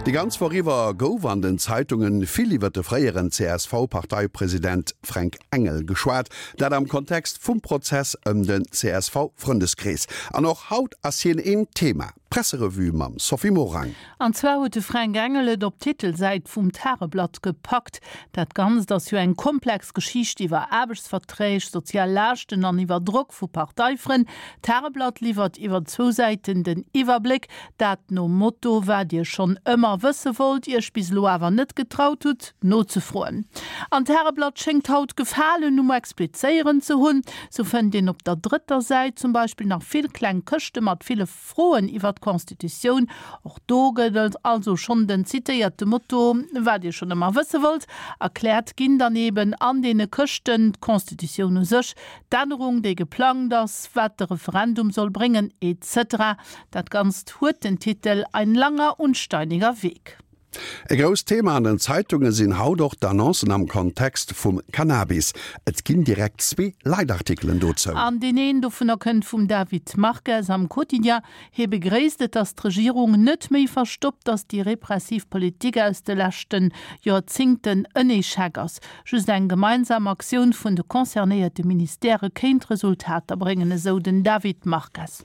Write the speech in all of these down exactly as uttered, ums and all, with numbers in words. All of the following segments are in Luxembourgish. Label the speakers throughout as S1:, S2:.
S1: Déi ganz Woch iwwer gouf an den Zeitunge vill iwwer de fréieren C S V-Parteipresident Fränk Engel geschwat, dat am Kontext vum Prozess ëm den C S V-Frëndeskrees. An och haut ass hien een Thema. Presserevue mam Sophie Morang.
S2: An zwar huet de Fränk Engel et op d'Titelsäit vum Tageblatt gepackt. Dat Ganzt ass jo eng komplex Geschicht iwwer Aarbechtsverträg, sozial Laaschten an iwwer Drock vu Parteifrënn. D'Tageblatt liwwert iwwer zwou Säiten den Iwwerbléck, dat nom Motto, wat Dir schonn ëmmer wësse wollt, Iech bis elo awer net getraut hutt, nozefroen. An d'Tageblatt schéngt haut Gefalen um Explizéieren ze hunn. Sou fënnt een op der drëtter Säit zum Beispill nach vill kleng Këschte mat ville Froen iwwer d'Constitutioun. Och do gëtt also schonn den zitéierte Motto, wat Dir schonn ëmmer wësse wollt, erkläert ginn dann eben an deene Këschten d'Constitutioun u sech, d'Ännerung, déi geplangt ass, wat de Referendum soll bréngen, et cetera. Dat Ganzt huet den Titel Ein langer und steiniger Weg.
S1: E grousst Thema an den Zeitunge sinn haut och d'Annoncen am Kontext vum Cannabis. Et ginn direkt zwee Leitartikelen dozou.
S2: An deen een dovunner kënnt vum David Marques am Quotidien. Hie begréisst et, datt d'Regierung net méi verstoppt, datt déi repressiv Politik aus de leschte Joerzéngten en Echec ass. Just eng gemeinsam Aktioun vun de concernéierte Ministèrë kéint Resultater bréngen, esou den David Marques.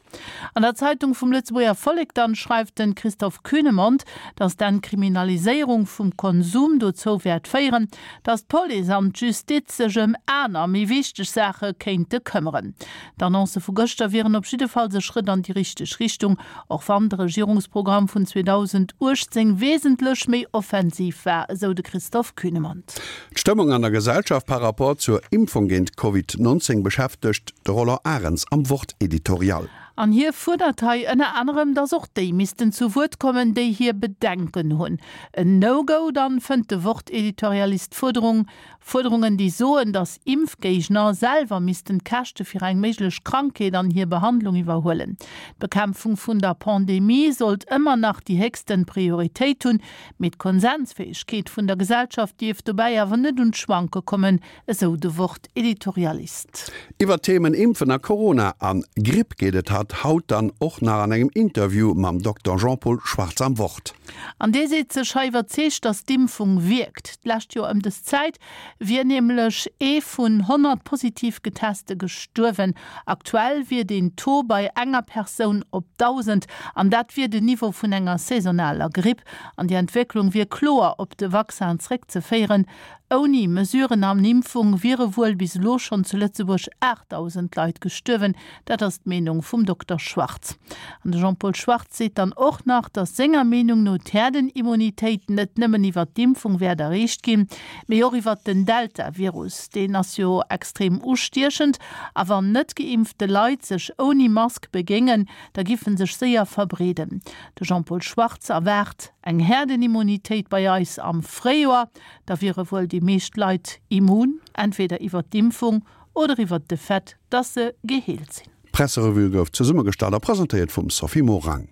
S2: An der Zeitung vum Lëtzebuerger Vollek dann schreift de Christoph Kühnemund, datt d'Entkriminaliséierung vum Konsum dozou wäert féieren, datt d'Police an d'Justiz sech ëm aner, méi wichteg Saache kéinte këmmeren. D'Annoncë vu gëschter wieren op jidde Fall e Schrëtt an déi richteg Richtung, och wann de Regierungsprogramm vun zweedausendachtzéng wesentlech méi offensiv war, esou de Christoph Kühnemund.
S1: D'Stëmmung an der Gesellschaft par rapport zur Impfung géint Covid neunzéng beschäftegt de Roland Arens am Wort-Editorial.
S2: An hie fuerdert hei ënner anerem, datt och déi missten zu Wuert kommen, déi hir Bedenken hunn. En No-Go dann fënnt de Wort-Editorialist Fuerderung, Fuerderungen, déi soen, datt Impfgéigner selwer missten d'Käschte fir eng méiglech Krankheet an hir Behandlung iwwerhuelen. D'Bekämpfung vun der Pandemie sollt ëmmer nach déi héchste Prioritéit hunn, mee d'Konsensfäegkeet vun der Gesellschaft dierf dobäi awer net un d'Schwanke kommen, esou de Wort-Editorialist.
S1: Iwwer Themen Impfen a Corona an Gripp geet et haut dann och nach an engem Interview mam Dokter Jean-Paul Schwartz am Wort.
S2: An dee seet sech hei iwwerzeegt, datt d'Impfung wierkt. D'lescht Joer ëm dës Zäit wier nämlech ee vun honnert positiv Geteste gestuerwen. Aktuell wier den Taux bei enger Persoun op dausend an dat wier den Niveau vun enger saisonaler Gripp. An déi Entwécklung wier kloer op de Vaccin zréckzeféieren. Ouni Mesuren an Impfung wiere wuel bis elo schonn zu Lëtzebuerg aachtdausend Leit gestuerwen, dat ass d'Meenung vum Dokter Schwartz. An de Jean-Paul Schwartz seet dann och nach, datt senger Meenung no d'Herdenimmunitéit net nëmmen iwwer d'Impfung wäert erreecht ginn, mee och iwwer den Delta-Virus. Deen ass jo extrem ustiechend a wann net geimpfte Leit sech ouni Mask begéingen, da géife sech séier verbreeden. De Jean-Paul Schwartz erwaart eng Herdenimmunitéit bei eis am Fréijoer, da wiere wuel déi meescht Leit immun, entweder iwwer d'Impfung oder iwwer de Fait, dass se geheelt sinn.
S1: D'Presserevue gouf zesummegestallt a presentéiert vum Sophie Morang.